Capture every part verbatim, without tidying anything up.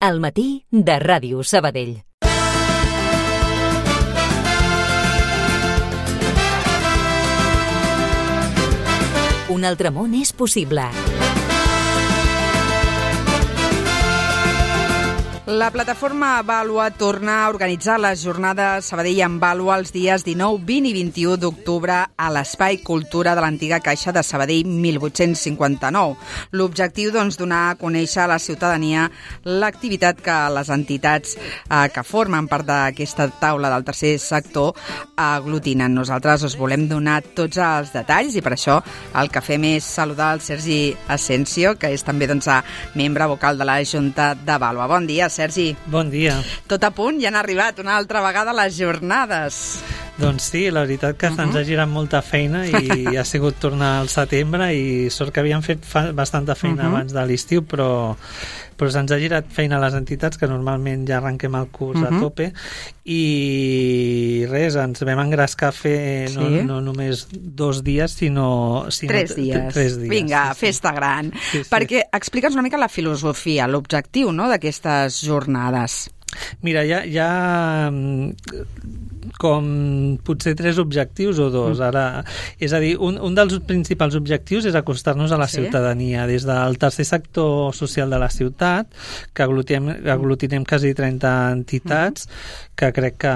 al matí de Ràdio Sabadell. Un altre món és possible. La plataforma Vàlua torna a organitzar les jornades Sabadell en Vàlua els dies dinou, vint i vint-i-u d'octubre a l'Espai Cultura de l'antiga Caixa de Sabadell mil vuit-cents cinquanta-nou. L'objectiu, doncs, donar a conèixer a la ciutadania l'activitat que les entitats eh, que formen part d'aquesta taula del tercer sector aglutinen. Nosaltres us volem donar tots els detalls i per això el que fem és saludar el Sergi Asensio, que és també doncs, membre vocal de la Junta de Vàlua. Bon dia, Sergi. Bon dia. Tot a punt, ja han arribat una altra vegada les jornades. Doncs sí, la veritat que uh-huh. ens ha girat molta feina i ha sigut tornar al setembre i sort que havíem fet fa bastanta feina uh-huh. abans de l'estiu, però, però se'ns ha girat feina a les entitats, que normalment ja arrenquem el curs uh-huh. a tope, i res, ens vam engrescar a fer no, sí. no només dos dies, sinó... sinó tres dies. Tres dies. Vinga, sí, festa sí. gran. Sí, sí. Perquè explica'ns una mica la filosofia, l'objectiu, no?, d'aquestes jornades. Mira, hi ha, hi ha com potser tres objectius o dos. Ara, és a dir, un, un dels principals objectius és acostar-nos a la sí? ciutadania. Des del tercer sector social de la ciutat, que aglutinem, aglutinem quasi trenta entitats, que crec que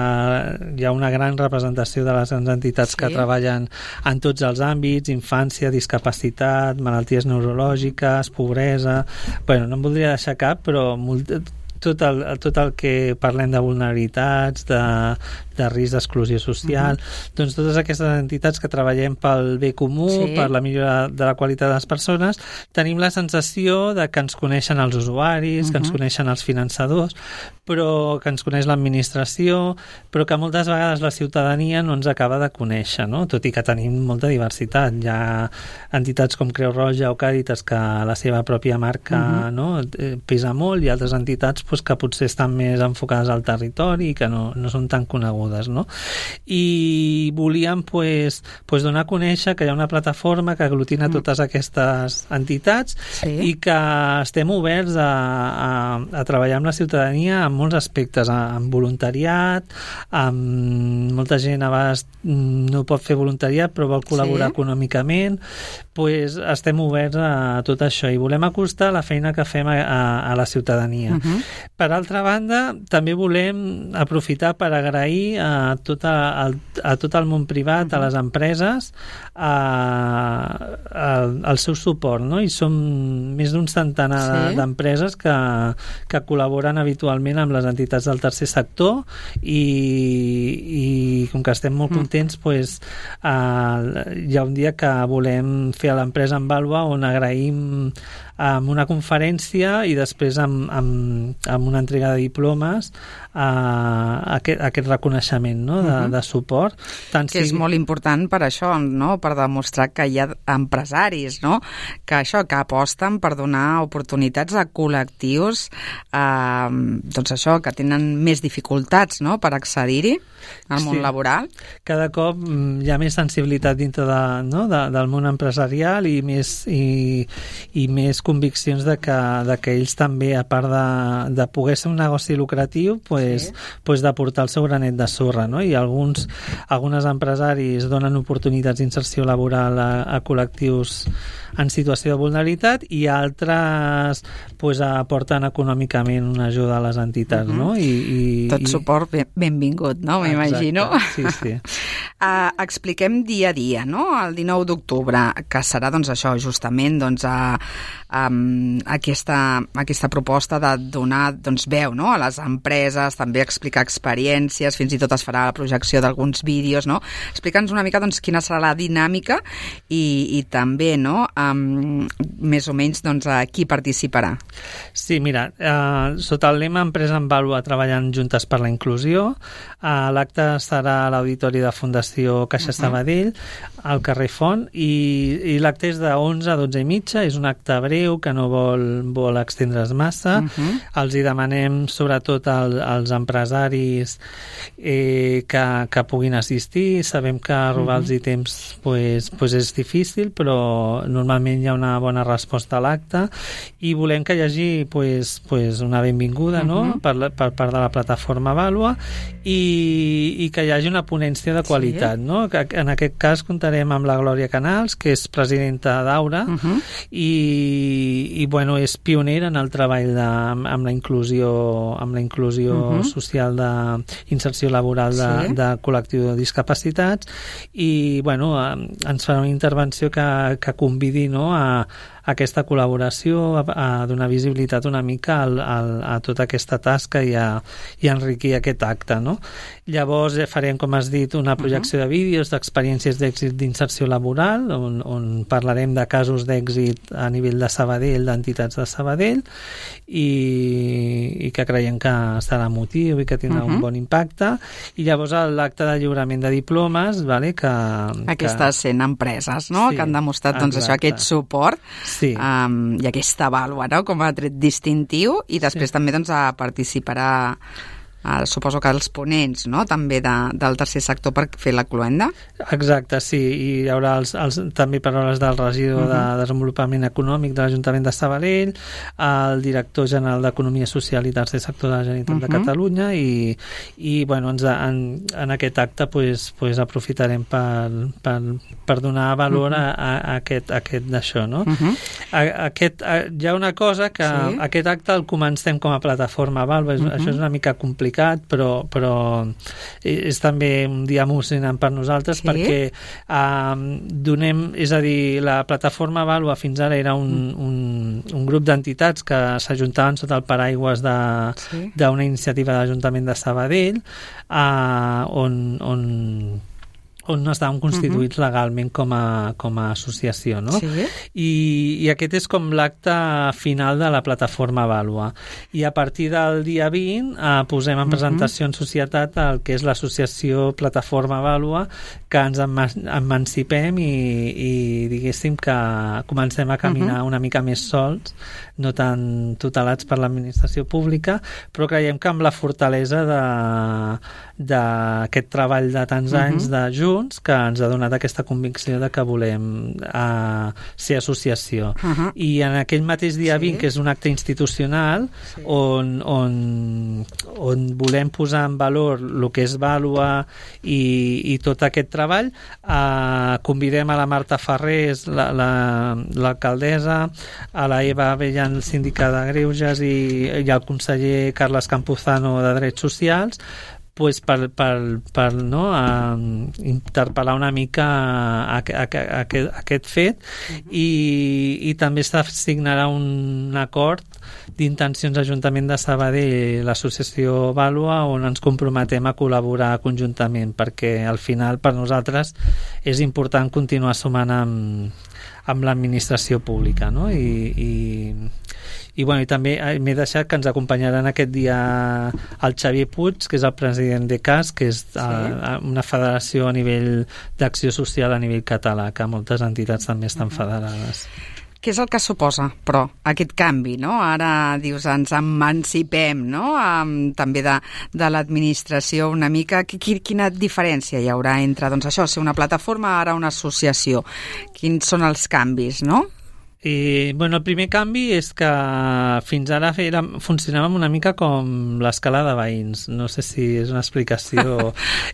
hi ha una gran representació de les entitats sí? que treballen en tots els àmbits, infància, discapacitat, malalties neurològiques, pobresa... Bueno, no em voldria deixar cap, però molt, tot, el, tot el que parlem de vulnerabilitats, de, de risc d'exclusió social, uh-huh. doncs totes aquestes entitats que treballem pel bé comú, sí. per la millora de la qualitat de les persones, tenim la sensació de que ens coneixen els usuaris, uh-huh. que ens coneixen els finançadors, però que ens coneix l'administració, però que moltes vegades la ciutadania no ens acaba de conèixer, no? Tot i que tenim molta diversitat. Hi ha entitats com Creu Roja o Càritas que la seva pròpia marca uh-huh. no? pesa molt, i altres entitats pues, que potser estan més enfocades al territori i que no, no són tan conegudes, no? I volíem pues, pues, donar a conèixer que hi ha una plataforma que aglutina uh-huh. totes aquestes entitats sí. i que estem oberts a, a, a treballar amb la ciutadania en molts aspectes, amb voluntariat, amb molta gent a vegades no pot fer voluntariat però vol col·laborar sí? econòmicament, pues estem oberts a tot això i volem acostar la feina que fem a, a, a la ciutadania. Uh-huh. Per altra banda, també volem aprofitar per agrair a tot, a, a tot el món privat, uh-huh. a les empreses, a, a, el seu suport, no? I som més d'un centenar sí? d'empreses que, que col·laboren habitualment amb les entitats del tercer sector i, i com que estem molt contents, mm. pues, uh, hi ha un dia que volem fer a l'empresa en Vàlua on agraïm amb una conferència i després amb, amb, amb una entrega de diplomes a aquest, aquest reconeixement, no? de, uh-huh. de suport. Tant que sigui... és molt important per això, no? Per demostrar que hi ha empresaris, no? que això, que aposten per donar oportunitats a col·lectius eh, doncs això, que tenen més dificultats, no? per accedir-hi al món sí. laboral. Cada cop hi ha més sensibilitat dintre de, no? de, del món empresarial i més, i, i més conviccions de que, de que ells també, a part de, de poder ser un negoci lucratiu, pues, sí. pues d'aportar el seu granet de sorra, no? I alguns, algunes empresaris donen oportunitats d'inserció laboral a, a col·lectius en situació de vulnerabilitat i altres pues, aporten econòmicament una ajuda a les entitats, uh-huh. no? I, i, Tot i... suport ben, benvingut, no? M'imagino. Sí, sí. uh, expliquem dia a dia, no? El dinou d'octubre, que serà doncs això, justament doncs, a, a, aquesta, aquesta proposta de donar doncs, veu, no? A les empreses, també explicar experiències, fins i tot es farà la projecció d'alguns vídeos, no? Explica'ns una mica doncs, quina serà la dinàmica i, i també, no? Um, més o menys doncs, a qui participarà. Sí, mira, eh, sota el lema Empresa en Vàlua treballant juntes per la inclusió, eh, l'acte serà a l'Auditori de Fundació Fundació Caixa uh-huh. Sabadell, al carrer Font, i, i l'acte és de onze a dotze i mitja, és un acte breu que no vol, vol extendre's massa. Uh-huh. Els hi demanem sobretot al, als empresaris eh, que, que puguin assistir. Sabem que robar-los uh-huh. temps pues, pues és difícil, però normalment hi ha una bona resposta a l'acte, i volem que hi hagi pues, pues una benvinguda uh-huh. no? per, per part de la plataforma Vàlua, i, i que hi hagi una ponència de qualitat. Sí. No? Que, en aquest cas comptarem amb la Glòria Canals, que és presidenta d'Aura, uh-huh. i, i bueno, és pionera en el treball de, amb la inclusió, amb la inclusió uh-huh. social d'inserció laboral de, sí. de col·lectiu de discapacitats, i bueno, ens farà una intervenció que, que convidi, no, a aquesta col·laboració, a, a donar visibilitat una mica al, al, a tota aquesta tasca i a, i a enriquir aquest acte, no? Llavors farem, com has dit, una projecció uh-huh. de vídeos d'experiències d'èxit d'inserció laboral, on, on parlarem de casos d'èxit a nivell de Sabadell, d'entitats de Sabadell, i, i que creiem que serà emotiu i que tindrà uh-huh. un bon impacte. I llavors l'acte de lliurament de diplomes, vale, que... Aquestes cent empreses, no?, sí, que han demostrat doncs, això, aquest suport. Sí. Um, i aquesta vàlua, no?, com a tret distintiu, i després sí. també doncs, participarà, uh, suposo que els ponents, no?, també de, del tercer sector per fer la cloenda. Exacte, sí, i hi haurà els, els, també paraules del regidor uh-huh. de Desenvolupament Econòmic de l'Ajuntament de Sabadell, el director general d'Economia Social i Tercer Sector de la Generalitat uh-huh. de Catalunya, i, i bueno, ens, en, en aquest acte pues, pues, aprofitarem per, per, per donar valor uh-huh. a, a aquest, a aquest d'això, no? Uh-huh. A, aquest, a, hi ha una cosa que sí. aquest acte el comencem com a plataforma Vàlua, uh-huh. això és una mica complicat, però, però és també un dia emocionant per nosaltres, sí. perquè eh, donem, és a dir, la plataforma Vàlua fins ara era un, un, un grup d'entitats que s'ajuntaven sota el paraigües d'una sí. iniciativa de l'Ajuntament de Sabadell, eh, on, on on no estaven constituïts uh-huh. legalment com a, com a associació, no? Sí. I, i aquest és com l'acte final de la plataforma Vàlua. I a partir del dia vint eh, posem en presentació uh-huh. en societat el que és l'associació Plataforma Vàlua, que ens emancipem i, i diguéssim que comencem a caminar uh-huh. una mica més sols, no tan tutelats per l'administració pública, però creiem que amb la fortalesa d'aquest treball de tants uh-huh. anys de Junts, que ens ha donat aquesta convicció de que volem uh, ser associació. Uh-huh. I en aquell mateix dia sí. vint, que és un acte institucional, sí. on, on, on volem posar en valor el que és Vàlua i, i tot aquest treball, uh, convidem a la Marta Ferrés, la, la, l'alcaldessa, a la Eva Abellan, síndica de Greuges, i, i al conseller Carles Campuzano de Drets Socials, pues per, per, per no, a, interpel·lar una mica a, a, a, a, a aquest fet, i, i també s'assignarà un acord d'intencions d'Ajuntament de Sabadell i l'associació Vàlua, on ens comprometem a col·laborar conjuntament, perquè al final per nosaltres és important continuar sumant amb, amb l'administració pública, no? I, i I, bueno, i també m'he deixat que ens acompanyaran aquest dia el Xavier Puig, que és el president de C A S, que és sí. a, a una federació a nivell d'acció social a nivell català, que moltes entitats també estan federades. Què és el que suposa, però, aquest canvi, no? Ara, dius, ens emancipem, no?, um, també de, de l'administració una mica. Quina diferència hi haurà entre, doncs, això, ser una plataforma, ara una associació? Quins són els canvis, no? I, bueno, el primer canvi és que fins ara era, funcionàvem una mica com l'escala de veïns. No sé si és una explicació.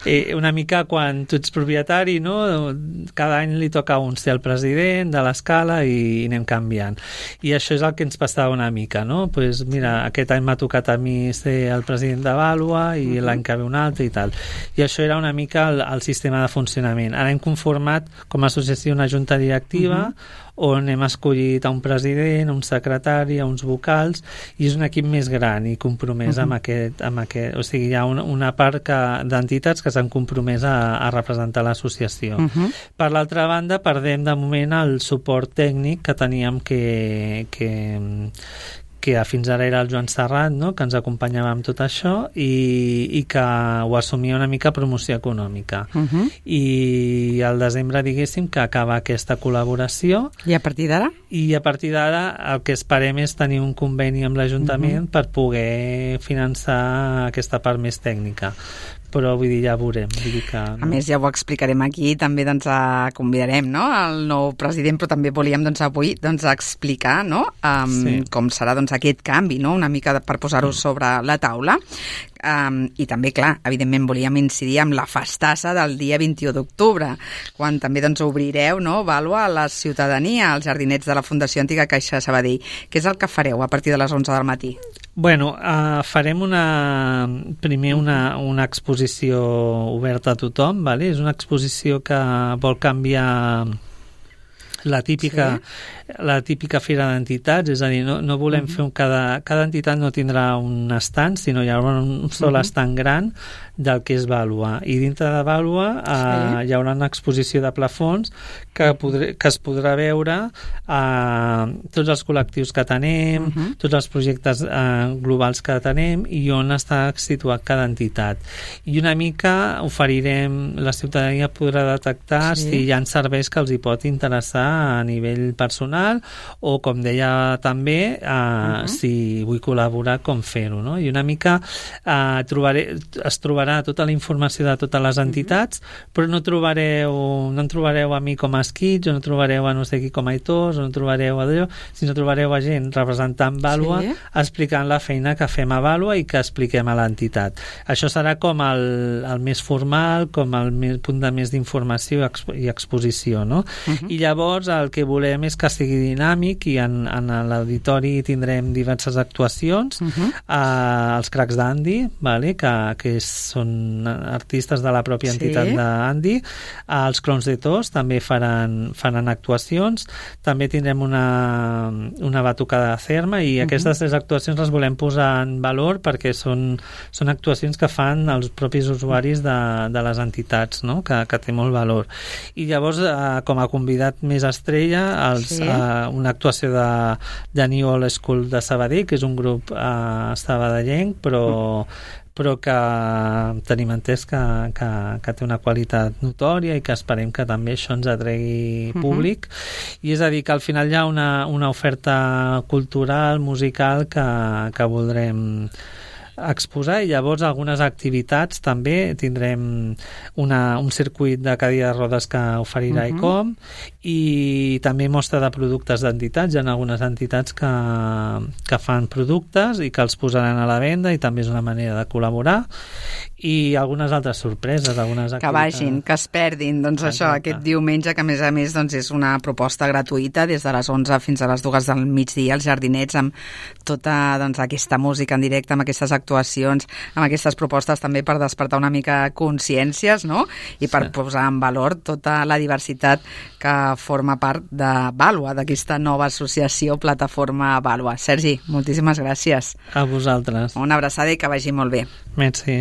eh, una mica quan tu ets propietari, no? Cada any li toca a un ser el president de l'escala i, i anem canviant. I això és el que ens passava una mica, no? Pues mira, aquest any m'ha tocat a mi ser el president de Vàlua i uh-huh. l'any que ve un altre i tal. I això era una mica el, el sistema de funcionament. Ara hem conformat com a associació una junta directiva uh-huh. on hem escollit a un president, a un secretari, a uns vocals, i és un equip més gran i compromès uh-huh. amb, aquest, amb aquest... O sigui, hi ha una, una part que, d'entitats que s'han compromès a, a representar l'associació. Uh-huh. Per l'altra banda, perdem de moment el suport tècnic que teníem que... que que fins ara era el Joan Serrat, no?, que ens acompanyava amb tot això i, i que ho assumia una mica promoció econòmica. Uh-huh. I al desembre, diguéssim, que acaba aquesta col·laboració. I a partir d'ara? I a partir d'ara el que esperem és tenir un conveni amb l'Ajuntament uh-huh. per poder finançar aquesta part més tècnica. Però vull dir, ja veurem. Vull dir que, no? A més, ja ho explicarem aquí, també doncs, a, convidarem, no?, el nou president, però també volíem doncs, avui doncs, explicar, no?, um, sí. com serà doncs, aquest canvi, no?, una mica per posar-ho sí. sobre la taula. Um, I també, clar, evidentment volíem incidir amb la festassa del dia vint-i-u d'octubre, quan també doncs, obrireu, no?, Vàlua, a la ciutadania, als jardinets de la Fundació Antiga Caixa de Sabadell. Què és el que fareu a partir de les onze del matí? Bueno, uh, farem una, primer una, una exposició oberta a tothom, vale? És una exposició que vol canviar la típica, sí. la típica fira d'entitats, és a dir, no, no volem uh-huh. fer un... Cada, cada entitat no tindrà un estand, sinó hi haurà un sol uh-huh. estand gran del que és Vàlua. I dintre de Vàlua eh, sí. hi haurà una exposició de plafons que, podré, que es podrà veure eh, tots els col·lectius que tenem, uh-huh. tots els projectes eh, globals que tenem i on està situat cada entitat. I una mica oferirem, la ciutadania podrà detectar sí. si hi ha serveis que els hi pot interessar a nivell personal o, com deia també, eh, uh-huh. si vull col·laborar, com fer-ho, no? I una mica eh, trobaré, es trobarà tota la informació de totes les entitats, uh-huh. però no trobareu no en trobareu a mi com a Esquits, o no trobareu a no sé qui com a Aitors, o no trobareu a d'allò, sinó trobareu a gent representant Vàlua, sí. explicant la feina que fem a Vàlua i que expliquem a l'entitat. Això serà com el, el més formal, com el més, punt de més d'informació i, expo, i exposició, no? Uh-huh. I llavors el que volem és que sigui dinàmic i en, en l'auditori tindrem diverses actuacions, uh-huh. eh, els cracs d'Andy, vale? que, que són artistes de la pròpia entitat sí. d'Andy, eh, els clowns de Tos també faran, faran actuacions, també tindrem una, una batucada de Cerma i uh-huh. aquestes tres actuacions les volem posar en valor perquè són, són actuacions que fan els propis usuaris de, de les entitats, no? que, que té molt valor. I llavors, eh, com a convidat més estrella, els, sí. uh, una actuació de, de New Old School de Sabadell, que és un grup uh, sabadellenc, però, però que tenim entès que, que, que té una qualitat notòria i que esperem que també això ens atregui públic. Uh-huh. I és a dir, que al final hi ha una, una oferta cultural, musical, que, que voldrem exposar, i llavors algunes activitats també tindrem una, un circuit de cadira de rodes que oferirà uh-huh. I C O M i també mostra de productes d'entitats. Hi ha algunes entitats que, que fan productes i que els posaran a la venda i també és una manera de col·laborar, i algunes altres sorpreses, algunes activitats. Que vagin, que es perdin, doncs exacte. Això, aquest diumenge, que a més a més doncs, és una proposta gratuïta des de les onze fins a les dues del migdia, als jardinets, amb tota doncs, aquesta música en directe, amb aquestes actuacions, amb aquestes propostes també per despertar una mica consciències, no? I per sí. posar en valor tota la diversitat que forma part de Vàlua, d'aquesta nova associació Plataforma Vàlua. Sergi, moltíssimes gràcies. A vosaltres. Una abraçada i que vagi molt bé. Merci.